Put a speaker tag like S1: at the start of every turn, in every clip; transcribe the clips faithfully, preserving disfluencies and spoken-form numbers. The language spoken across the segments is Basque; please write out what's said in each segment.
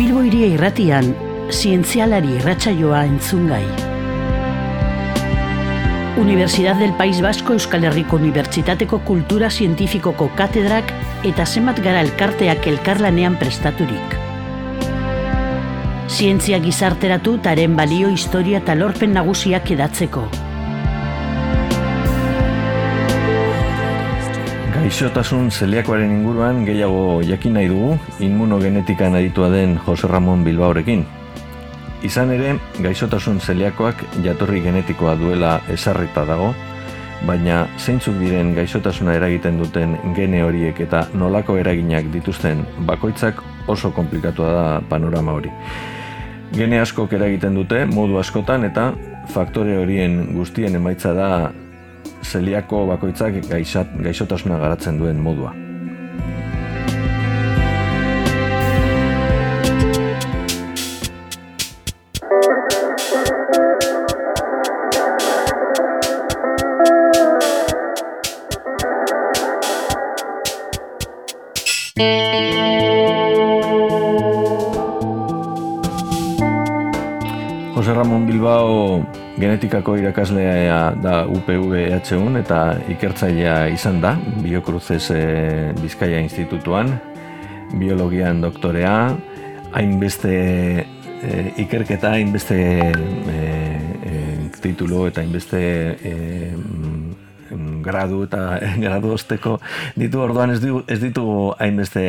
S1: Bilbo Hiria Irratian, zientzialari irratsaioa entzungai. Universidad del País Vasco Euskal Herriko Unibertsitateko Kultura Zientifikoko katedrak eta zenbat gara elkarteak elkarlanean prestaturik. Zientzia gizarteratu taren balio, historia eta lorpen nagusiak edatzeko.
S2: Gaixotasun zeliakoaren inguruan gehiago jakin nahi dugu immunogenetikan aditua den Jose Ramon Bilbaorekin. Izan ere, gaixotasun zeliakoak jatorri genetikoa duela ezarrita dago, baina zeintzuk diren gaixotasuna eragiten duten gene horiek eta nolako eraginak dituzten bakoitzak oso konplikatua da panorama hori. Gene askok eragiten dute modu askotan eta faktore horien guztien emaitza da zeliako bakoitzak gaixat, gaixotasuna garatzen duen modua. Jose Ramon Bilbao genetikako irakaslea da U P V E H U eta ikertzailea izan da, Biocruces e, Bizkaia Institutuan, biologian doktorea, hainbeste e, ikerketa, hainbeste e, e, titulu eta hainbeste e, gradu eta gradu osteko ditu, orduan ez, ditu, ez ditugu hainbeste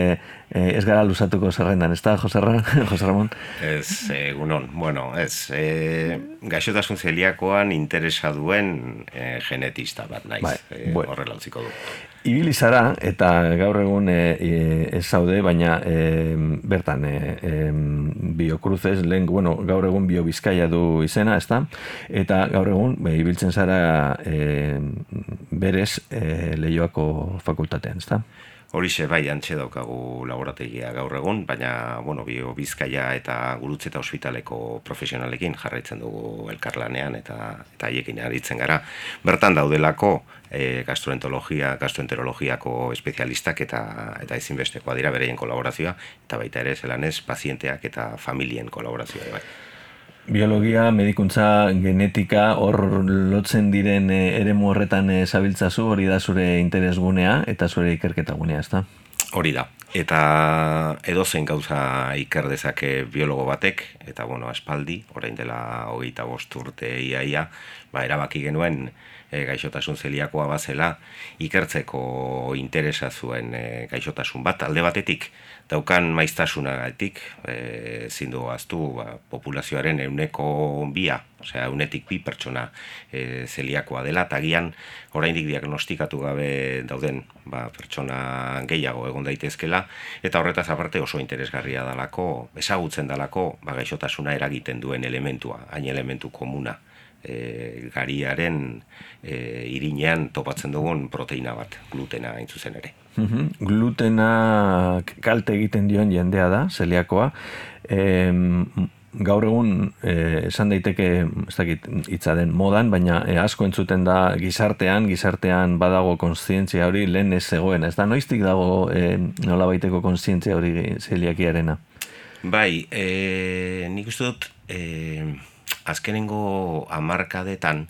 S2: eh, ez gara luzatuko zerrendan, ez da, Jose Ramon?
S3: Ez, egunon, bueno, ez, e, gaixotasun zeliakoan interesa duen e, genetista bat naiz, bai, e, bueno. Horrela utziko du. Ibili zara, eta gaur egun e, e, ez zaude, baina e, bertan e, e, Biocruces, lehen, bueno, gaur egun Bio Bizkaia du izena, ez da? Eta gaur egun, be, ibiltzen zara e, berez e, Leioako fakultatean, ez da? Horixe, bai, antxe daukagu laborategia gaur egun, baina, bueno, Bio Bizkaia eta Gurutze eta Ospitaleko profesionalekin jarraitzen dugu elkarlanean eta eta haiekin aritzen gara. Bertan daudelako e, gastroenterologia, gastroenterologiako espezialistak eta eta ezinbestekoa dira bereien kolaborazioa, eta baita ere zelanez pazienteak eta familien kolaborazioa bai. Biologia, medikuntza, genetika, hor lotzen diren eremu horretan zabiltzazu, hori da zure interesgunea eta zure ikerketagunea, ez da? Hori da. Eta edozein gauza iker dezake biologo batek, eta bueno, aspaldi, orain dela hogeita bost urte iaia, ba, erabaki genuen e, gaixotasun zeliakoa bazela, ikertzeko interesa zuen e, gaixotasun bat, alde batetik, daukan maiztasunagatik, e, zindu aztu, ba, populazioaren euneko bia, osea, eunetik bi pertsona e, zeliakoa dela, eta gian, oraindik diagnostikatu gabe dauden ba, pertsona gehiago egon daitezkela, eta horretaz aparte oso interesgarria dalako, ezagutzen dalako, ba, gaixotasuna eragiten duen elementua, hain elementu komuna. E, gariaren e, irinean topatzen dugun proteina bat, glutena hain zuzen ere. Mm-hmm. Glutena kalte egiten dion jendea da, zeliakoa. E, gaur egun e, esan daiteke, ez dakit hitza den modan, baina e, asko entzuten da gizartean, gizartean badago kontzientzia hori lehen ez zegoen. Ez da, noiztik dago e, nolabaiteko kontzientzia hori zeliakiarena? Bai, e, nik uste dut... E, azkenengo hamarkadetan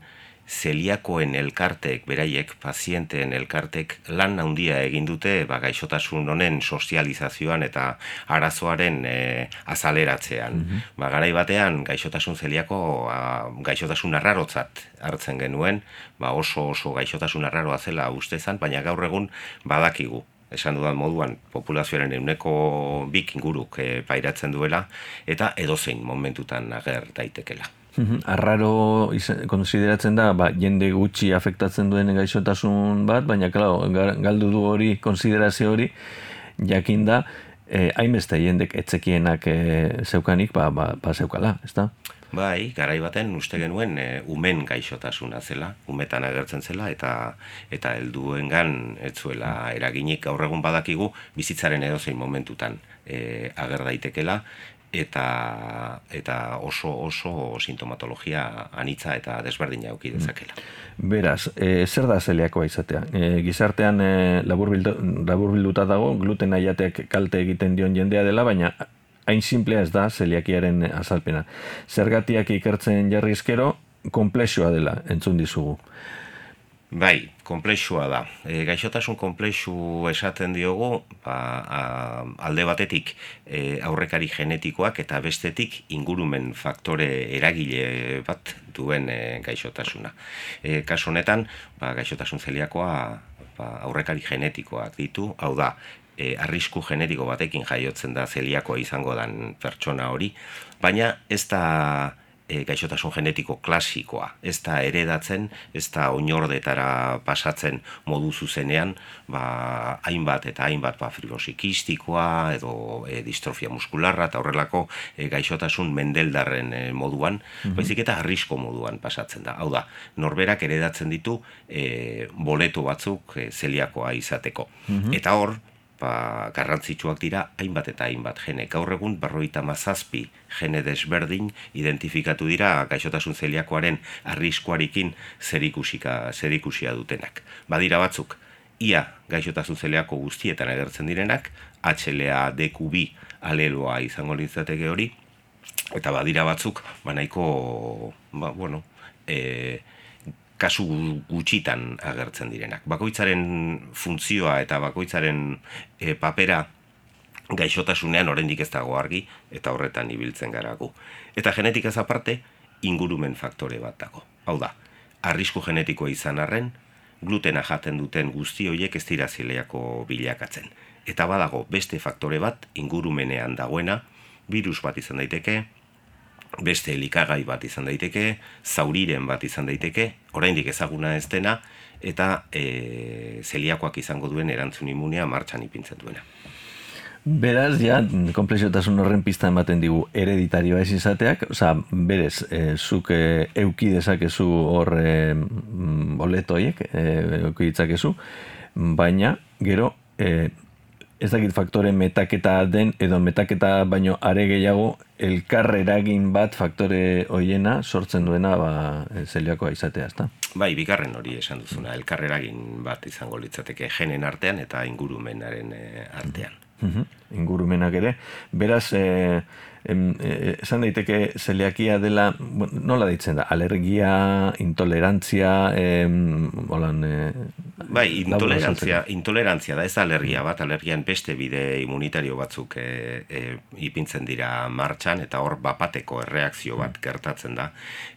S3: zeliakoen elkartek, beraiek, pazienteen elkartek lan handia egin dute ba, gaixotasun honen sozializazioan eta arazoaren e, azaleratzean. Mm-hmm. Ba, garai batean gaixotasun zeliako a, gaixotasun arrarotzat hartzen genuen, ba, oso oso gaixotasun arraroa zela ustezan, baina gaur egun badakigu. Esan dudan moduan, populazioaren euneko bik inguruk e, pairatzen duela, eta edozein momentutan ager daitekela. Mm-hmm. Arraro konsideratzen da, ba, jende gutxi afektatzen duen gaixotasun bat, baina claro, galdu du hori, konsiderazio hori, jakin da, eh, hainbeste jendek etzekienak eh, zeukanik, ba, ba, ba zeukala, ez da? Bai, garai baten uste genuen e, umen gaixotasuna zela, umetan agertzen zela, eta eta helduengan ez zuela eraginik. Gaur egun badakigu bizitzaren edozein momentutan e, ager daitekela, eta eta oso oso sintomatologia anitza eta desberdina eduki dezakela. Beraz, e, zer da zeliakoa izatea? E, gizartean e, laburbildu, laburbilduta dago, glutena jateak kalte egiten dion jendea dela, baina
S2: hain simplea ez da zeliakiaren azalpena. Zergatiak ikertzen jarri ezkero, konplexua dela entzun dizugu.
S3: Bai, konplexua da. E, gaixotasun konplexu esaten diogu, ba, a, alde batetik e, aurrekari genetikoak eta bestetik ingurumen faktore eragile bat duen e, gaixotasuna. E, kasu honetan, ba, gaixotasun zeliakoa ba, aurrekari genetikoak ditu, hau da, e, arrisku genetiko batekin jaiotzen da zeliakoa izango dan pertsona hori, baina ez da E, gaixotasun genetiko klasikoa, ez da heredatzen, ez da oinordetara pasatzen modu zuzenean, ba, hainbat eta hainbat ba, fibrosikistikoa edo e, distrofia muskularra eta horrelako e, gaixotasun mendeldarren e, moduan, mm-hmm. baizik eta arrisko moduan pasatzen da. Hau da, norberak heredatzen ditu e, boleto batzuk e, zeliakoa izateko. Mm-hmm. Eta hor, ba, garrantzitsuak dira hainbat eta hainbat gene. Gaur egun berrogeita hamazazpi gene desberdin identifikatu dira gaixotasun zeliakoaren arriskuarekin zerikusika zerikusia dutenak. Badira batzuk ia gaixotasun zeliako guztietan agertzen direnak, H L A D Q B aleloa izango litzateke hori, eta badira batzuk ba nahiko ba, bueno, eh kasu gutxitan agertzen direnak. Bakoitzaren funtzioa eta bakoitzaren e, papera gaixotasunean oraindik ez dago argi eta horretan ibiltzen garagu. Eta genetikaz aparte, ingurumen faktore bat dago. Hau da, arrisku genetikoa izan arren, glutena jaten duten guzti horiek ez dira zeliako bilakatzen. Eta badago beste faktore bat ingurumenean dagoena, virus bat izan daiteke, beste elikagai bat izan daiteke, zauriren bat izan daiteke, oraindik ezaguna ez dena, eta e, zeliakoak izango duen erantzun immunea martxan ipintzen duena.
S2: Beraz, ja, konplexiotasun horren pista ematen digu hereditarioa ez izateak, oza, berez, e, zuk e, euki dezakezu hor e, boletoiek, e, euki ditzakezu, baina, gero, e, ez dakit faktore metaketa den, edo metaketa baino are gehiago, elkar eragin bat faktore hoiena sortzen duena ba, zeliakoa izatea, ezta?
S3: Bai, bigarren hori esan duzuna, elkar eragin bat izango litzateke genen artean eta ingurumenaren e, artean.
S2: Uh-huh. Ingurumenak ere. Beraz, e, em, e, esan daiteke zeliakia dela, bueno, nola deitzen da, alergia, intolerantzia, em, holan... E,
S3: bai, intolerantzia, intolerantzia da, ez alergia bat, alergian beste bide immunitario batzuk e, e, ipintzen dira martxan, eta hor bapateko erreakzio bat gertatzen da.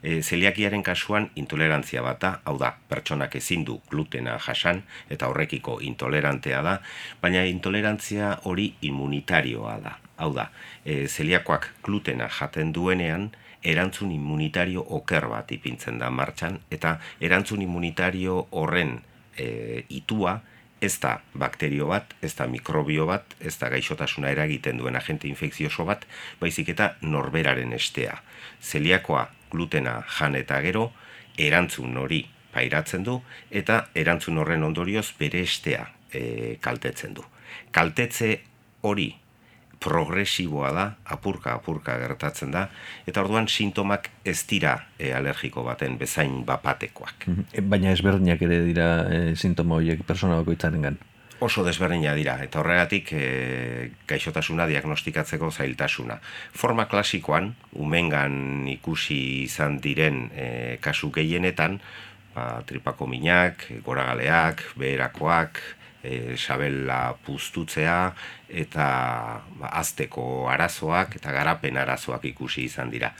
S3: E, zeliakiaren kasuan intolerantzia bat da, hau da, pertsonak ezin du glutena jasan, eta horrekiko intolerantea da, baina intolerantzia hori immunitarioa da. Hau da, e, zeliakoak glutena jaten duenean, erantzun immunitario oker bat ipintzen da martxan, eta erantzun immunitario horren e, itua ez da bakterio bat, ez da mikrobio bat, ez da gaixotasuna eragiten duen agente infekzioso bat, baizik eta norberaren estea. Zeliakoa glutena jan eta gero, erantzun hori pairatzen du, eta erantzun horren ondorioz bere estea e, kaltetzen du. Kaltetze hori progresiboa da, apurka-apurka gertatzen da, eta orduan sintomak ez dira e, alergiko baten bezain bapatekoak.
S2: Baina ezberdinak ere dira e, sintoma horiek persona bakoitzarengan.
S3: Oso desberdina dira, eta horregatik e, gaixotasuna diagnostikatzeko zailtasuna. Forma klasikoan, umengan ikusi izan diren e, kasu gehienetan, ba, tripako minak, goragaleak, beherakoak, E, sabela puztutzea eta ba, azteko arazoak eta garapen arazoak ikusi izan dira.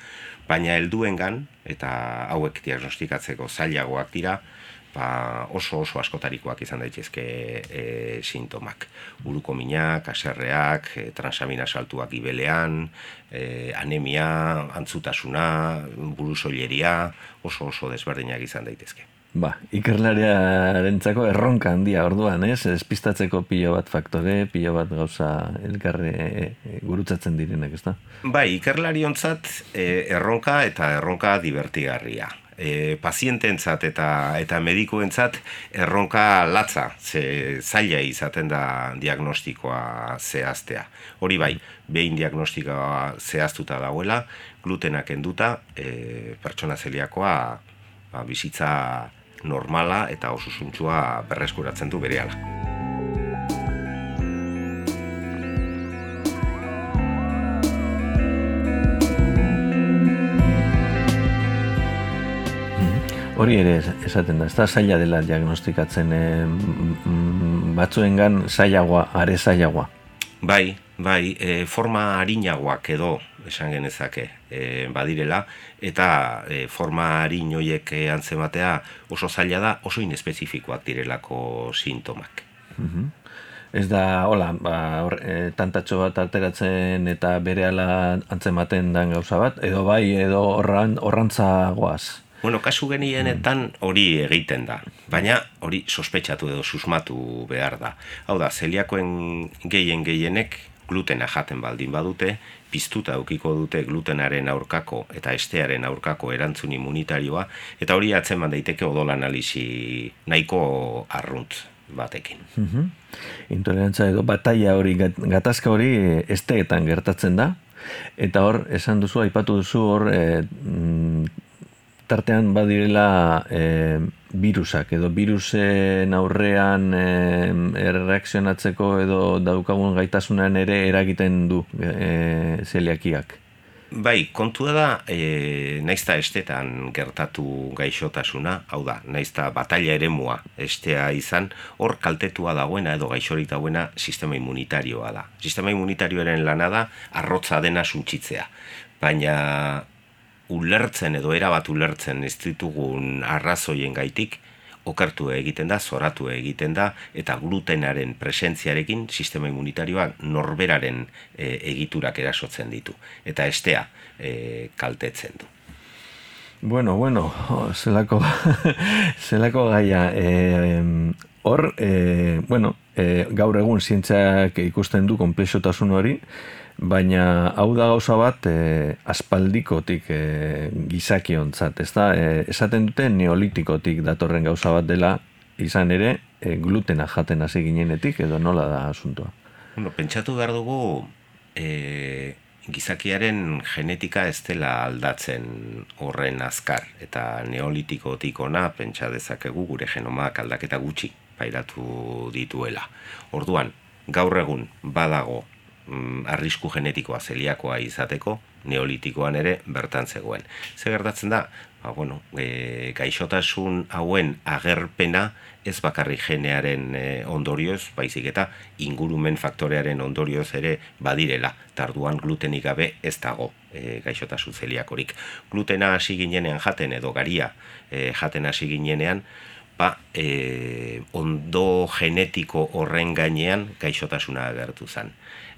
S3: Baina helduengan eta hauek diagnostikatzeko zailagoak dira, ba, oso oso askotarikoak izan daitezke e, sintomak. Buruko minak, haserreak, e, transamina saltuak gibelean, e, anemia, antzutasuna, burusoileria, oso oso desberdinak izan daitezke.
S2: Ba, ikerlariarentzako erronka handia orduan, ez? Espistatzeko pilo bat faktore, pilo bat gauza elkarre e, e, gurutzatzen direnak, ez da?
S3: Bai, ikerlariontzat e, erronka eta erronka divertigarria. E, paziententzat eta eta medikuentzat erronka latza, ze zaila izaten da diagnostikoa zehaztea. Hori bai, behin diagnostikoa zehaztuta dagoela, glutenak kenduta, e, pertsona zeliakoa ba, bizitza normala eta osasuntsua berreskuratzen du berehala.
S2: hori ere esaten da, ez da zaila dela diagnostikatzen, e, batzuengan zailagoa, are zailagoa.
S3: Bai, bai, e, forma harinagoak edo, esan genezake, e, badirela, eta e, forma harin horiek antzematea oso zaila da, oso inespezifikoak direlako sintomak.
S2: Uh-huh. Ez da, hola, ba, or, e, tantatxo bat alteratzen eta berehala antzematen dan gauza bat, edo bai, edo orran, orrantzagoaz.
S3: Bueno, kasu genienetan hori egiten da, baina hori sospetsatu edo susmatu behar da. Hau da, zeliakoen gehien gehienek glutena jaten baldin badute, piztuta eukiko dute glutenaren aurkako eta estearen aurkako erantzun immunitarioa, eta hori atzeman daiteke odol analisi nahiko arrunt batekin.
S2: Uh-huh. Intolerantza edo bataia hori, gatazka hori esteetan gertatzen da, eta hor, esan duzu, aipatu duzu hor, e, tartean badirela e, virusak, edo virusen aurrean e, erreakzionatzeko edo daukagun gaitasunan ere eragiten du e, zeliakiak.
S3: Bai, kontua da, e, naizta estetan gertatu gaixotasuna, hau da, naizta bataila eremua estea izan, hor kaltetua dagoena edo gaixorik dagoena sistema immunitarioa da. Sistema immunitarioaren lana da, arrotza dena suntsitzea, baina ulertzen edo erabat ulertzen ez ditugun arrazoien gaitik, okertu egiten da, zoratu egiten da, eta glutenaren presentziarekin sistema immunitarioak norberaren e, egiturak erasotzen ditu, eta estea e, kaltetzen du.
S2: Bueno, bueno, zelako, zelako gaia, e, hor, e, bueno, e, gaur egun zientziak ikusten du konplexotasun hori, baina hau da gauza bat e, aspaldikotik e, gizakiontzat, ez da? E, esaten dute neolitikotik datorren gauza bat dela, izan ere, e, glutena jaten hasi ginenetik, edo nola da asuntoa?
S3: Bueno, pentsatu behar dugu e, gizakiaren genetika ez dela aldatzen horren azkar, eta neolitikotik ona pentsa dezakegu gure genomak aldaketa gutxi pairatu dituela. Orduan, gaur egun badago arrisku genetikoa zeliakoa izateko, neolitikoan ere bertan zegoen. Ze gertatzen da, ba, bueno, e, gaixotasun hauen agerpena ez bakarri genearen e, ondorioz, baizik eta ingurumen faktorearen ondorioz ere badirela, tarduan glutenik gabe ez dago e, gaixotasun zeliakorik. Glutena hasi ginenean jaten edo garia e, jaten hasi ginenean, ba, e, ondo genetiko horren gainean gaixotasuna agertu zen.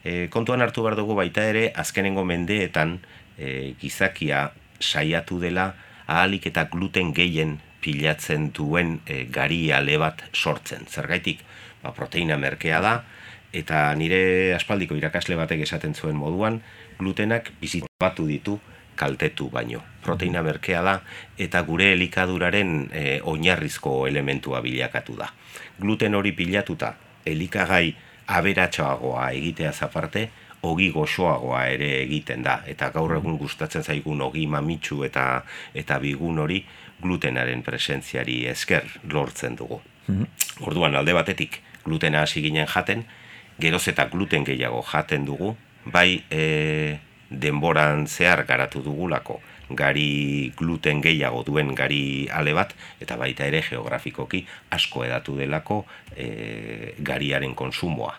S3: E, kontuan hartu behar dugu baita ere, azkenengo mendeetan e, gizakia saiatu dela ahalik eta gluten gehien pilatzen duen e, gari ale bat sortzen. Zergaitik, ba, proteina merkea da, eta nire aspaldiko irakasle batek esaten zuen moduan, glutenak bizitatu ditu kaltetu baino. Proteina merkea da, eta gure elikaduraren e, oinarrizko elementua bilakatu da. Gluten hori pilatuta, elikagai aberatsoagoa egiteaz aparte, ogi goxoagoa ere egiten da, eta gaur egun gustatzen zaigun ogi mamitsu eta eta bigun hori glutenaren presentziari esker lortzen dugu. Mm-hmm. Orduan, alde batetik glutena hasi ginen jaten, geroz eta gluten gehiago jaten dugu, bai e, denboran zehar garatu dugulako gari gluten gehiago duen gari ale bat, eta baita ere geografikoki asko edatu delako e, gariaren konsumoa.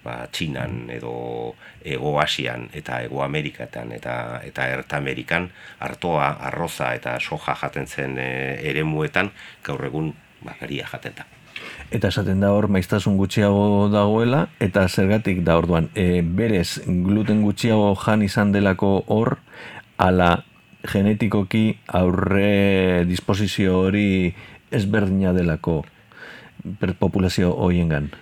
S3: Ba, Txinan edo Ego Asian eta Ego Amerikatan eta eta Erta Amerikan artoa, arroza eta soja jaten zen e, eremuetan gaur egun ba, garia jaten da.
S2: Eta esaten da hor maiztasun gutxiago dagoela, eta zergatik da orduan, e, berez gluten gutxiago jan izan delako hor, ala genetikoki aurre disposizio hori ezberdina delako populazio horiengan?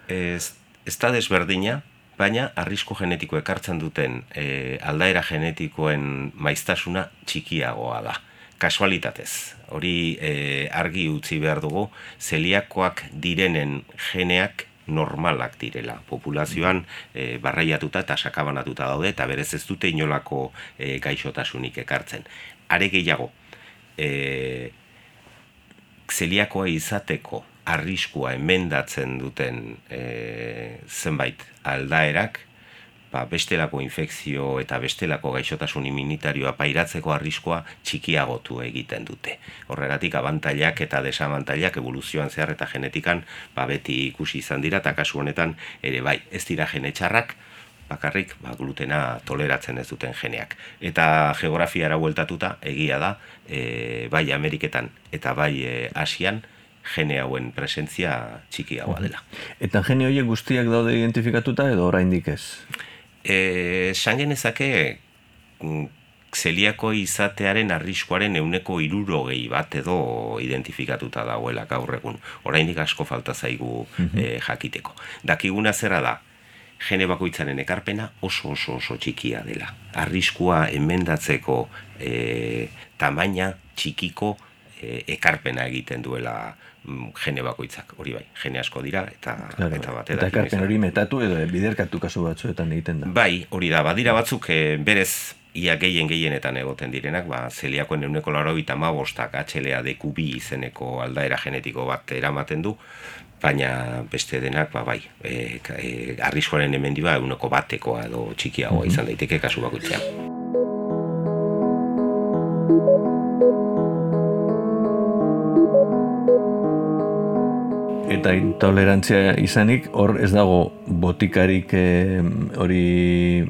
S3: Ez, ez da desberdina, baina arrisku genetiko ekartzen duten e, aldaera genetikoen maiztasuna txikiagoa da. Kasualitatez, hori e, argi utzi behar dugu, zeliakoak direnen geneak normalak direla. Populazioan e, barraiatuta eta sakabanatuta daude, eta berez ez dute inolako e, gaixotasunik ekartzen. Are gehiago, e, zeliakoa izateko arriskua emendatzen duten e, zenbait aldaerak, ba, bestelako infekzio eta bestelako gaixotasun immunitarioa pairatzeko arriskoa txikiagotu egiten dute. Horregatik abantailak eta desabantailak evoluzioan zehar eta genetikan ba, beti ikusi izan dira, eta kasu honetan ere bai, ez dira gene txarrak, bakarrik ba, glutena toleratzen ez duten geneak. Eta geografiara bueltatuta egia da, e, bai Ameriketan eta bai e, Asian, gene hauen presentzia txikiagoa dela.
S2: Eta gene horiek guztiak daude identifikatuta edo oraindik ez?
S3: Esan genezake zeliako izatearen arriskuaren ehuneko hirurogei bat edo identifikatuta dagoela gaur egun. Oraindik asko falta zaigu e, jakiteko. Dakiguna zera da, gene bakoitzaren ekarpena oso oso oso txikia dela. Arriskua emendatzeko e, tamaina txikiko e, ekarpena egiten duela gene bakoitzak, hori bai, gene asko dira, eta,
S2: claro,
S3: eta bat
S2: eta ekarpen hori metatu edo biderkatu kasu batzuetan egiten da.
S3: Bai, hori da, badira batzuk e, berez ia gehien gehienetan egoten direnak, ba, zeliakoen ehuneko laurogeita hamabostak H L A D Q B izeneko aldaera genetiko bat eramaten du, baina beste denak, ba, bai, e, e, arriskuaren hemendiba ehuneko batekoa edo txikiagoa izan daiteke kasu bakoitzean.
S2: Eta intolerantzia izanik, hor ez dago botikarik hori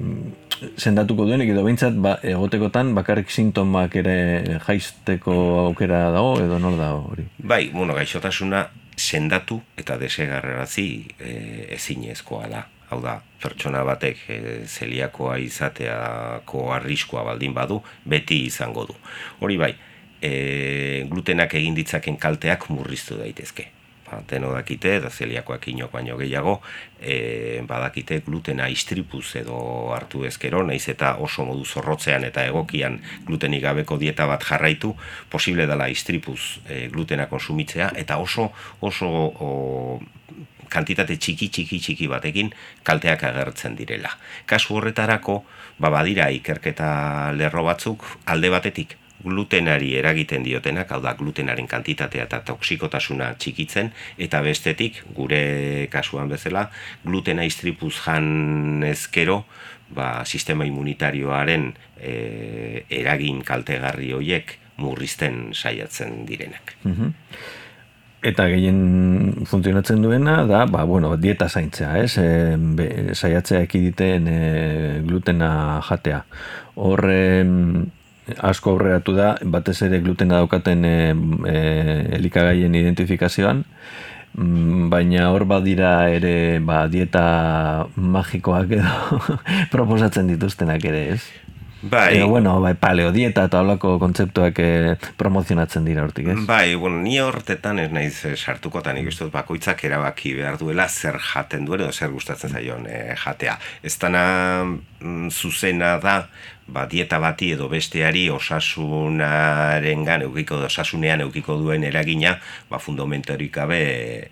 S2: sendatuko duenik, edo behintzat ba, egotekotan bakarrik sintomak ere jaisteko aukera dago, edo nor dago hori?
S3: Bai, bueno, gaixotasuna sendatu eta desegarrarazi e, ezinezkoa da. Hau da, pertsona batek e, zeliakoa izateako arriskua baldin badu, beti izango du. Hori bai, e, glutenak egin ditzaken kalteak murriztu daitezke. Deno dakite, eta zeliakoak inok baino gehiago, e, badakite glutena istripuz edo hartu ezkero, naiz eta oso modu zorrotzean eta egokian glutenik gabeko dieta bat jarraitu, posible dela istripuz e, glutena konsumitzea, eta oso oso o, kantitate txiki txiki txiki batekin kalteak agertzen direla. Kasu horretarako, ba badira ikerketa lerro batzuk alde batetik, glutenari eragiten diotenak, hau da glutenaren kantitatea eta toksikotasuna txikitzen, eta bestetik, gure kasuan bezala, glutena istripuz jan ezkero, ba, sistema immunitarioaren e, eragin kaltegarri horiek murrizten saiatzen direnak.
S2: Mm-hmm. Eta gehien funtzionatzen duena da, ba, bueno, dieta zaintzea, ez? E, be, saiatzea ekiditen e, glutena jatea. Hor, asko aurreratu da, batez ere glutena daukaten e, e, elikagaien identifikazioan, baina hor badira ere ba, dieta magikoak edo proposatzen dituztenak ere, ez?
S3: Bai.
S2: Edo, bueno, bai, paleo dieta eta holako kontzeptuak eh, promozionatzen dira hortik, ez?
S3: Bai, bueno, ni hortetan ez naiz sartukotan, nik uste dut bakoitzak erabaki behar duela zer jaten duen edo zer gustatzen zaion eh, jatea. Ez dana mm, zuzena da, ba, dieta bati edo besteari osasunarengan eukiko, osasunean eukiko duen eragina, ba, fundamentorik gabe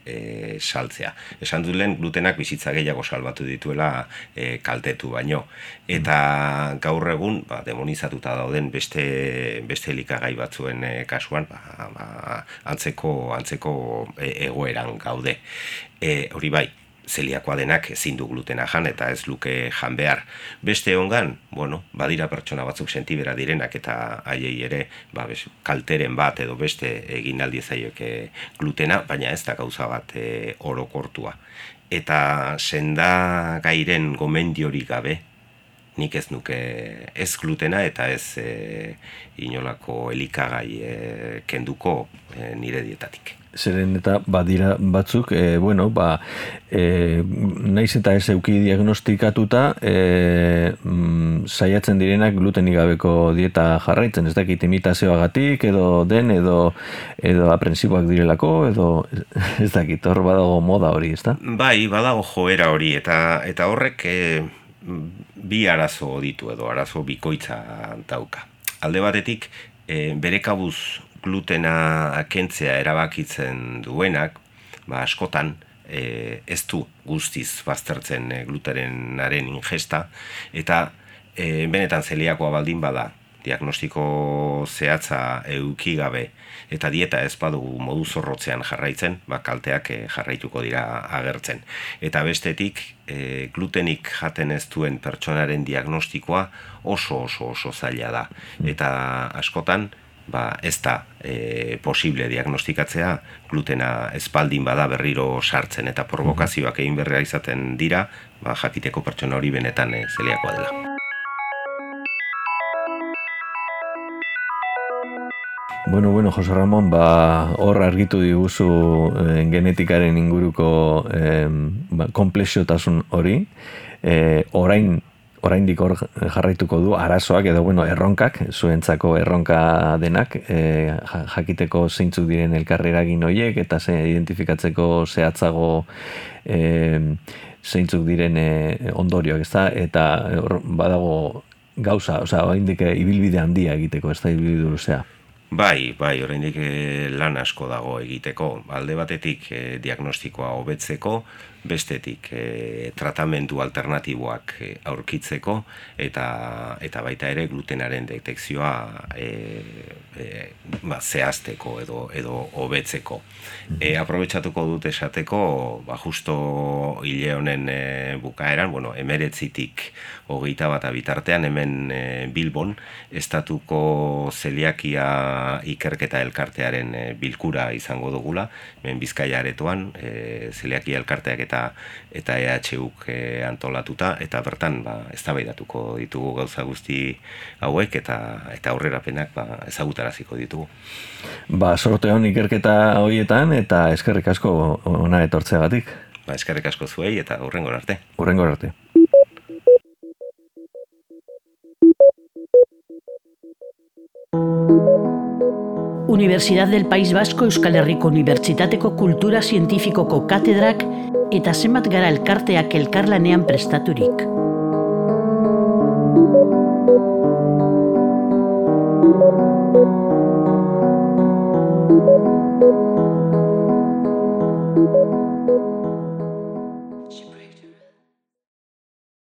S3: e, saltzea. Esan dut lehen, glutenak bizitza gehiago salbatu dituela e, kaltetu baino. Eta gaur egun, ba, demonizatuta dauden beste, beste elikagai batzuen e, kasuan, ba, ba, antzeko, antzeko e, egoeran gaude. E, hori bai, zeliakoa denak ezin du glutena jan eta ez luke jan behar. Beste ongan, bueno, badira pertsona batzuk sentibera direnak eta haiei ere ba, bez, kalteren bat edo beste egin aldi zaioke glutena, baina ez da gauza bat e, orokortua. Eta senda gairen gomendiorik gabe, nik ez nuke ez glutena eta ez e, inolako elikagai e, kenduko e, nire dietatik.
S2: Zeren eta badira batzuk, e, bueno, ba, e, naiz eta ez euki diagnostikatuta, e, mm, saiatzen direnak glutenik gabeko dieta jarraitzen, ez dakit imitazioagatik, edo den, edo, edo aprensiboak direlako, edo ez dakit, hor badago moda hori, ez da?
S3: Bai, badago joera hori, eta, eta horrek e, bi arazo ditu edo arazo bikoitza dauka. Alde batetik, e, bere kabuz glutena kentzea erabakitzen duenak, ba, askotan e, ez du guztiz baztertzen e, glutenaren ingesta, eta e, benetan zeliakoa baldin bada, diagnostiko zehatza eduki gabe eta dieta ez badugu modu zorrotzean jarraitzen, ba, kalteak e, jarraituko dira agertzen. Eta bestetik, e, glutenik jaten ez duen pertsonaren diagnostikoa oso oso oso zaila da. Eta askotan, ba, ez da e, posible diagnostikatzea glutena espaldin bada berriro sartzen eta provokazioak egin berrea izaten dira, ba, jakiteko pertsona hori benetan e, zeliakoa dela.
S2: Bueno, bueno, Jose Ramon, ba, hor argitu diguzu eh, genetikaren inguruko eh, ba, komplexiotasun hori, eh, orain oraindik hor jarraituko du arazoak edo bueno, erronkak, zuentzako erronka denak, e, jakiteko zeintzuk diren elkarreragin horiek eta ze identifikatzeko zehatzago e, zeintzuk diren e, ondorioak, ezta? Eta or, badago gauza, osea, oraindik ibilbide handia egiteko, ez da ibilbide luzea.
S3: Bai, bai, oraindik lan asko dago egiteko. Alde batetik e, diagnostikoa hobetzeko, bestetik e, tratamendu alternatiboak e, aurkitzeko eta eta baita ere glutenaren detekzioa e, e, ba, zehazteko edo edo hobetzeko. E, aprobetxatuko dut esateko, ba, justo hile honen e, bukaeran, bueno, hemeretzitik hogeita bat bitartean hemen e, Bilbon estatuko zeliakia ikerketa elkartearen e, bilkura izango dugula, hemen Bizkaia aretoan e, zeliakia elkarteak eta eta E H Uk e, antolatuta eta bertan ba eztabaidatuko ditugu gauza guzti hauek eta eta aurrerapenak ba ezagutaraziko ditugu.
S2: Ba, sorte on ikerketa horietan eta eskerrik asko ona etortzeagatik.
S3: Ba, eskerrik asko zuei eta hurrengora arte.
S2: Hurrengora arte.
S1: Universidad del País Vasco Euskal Herriko Unibertsitateko Kultura Zientifikoko katedrak eta zenbat gara elkarteak elkarlanean prestaturik.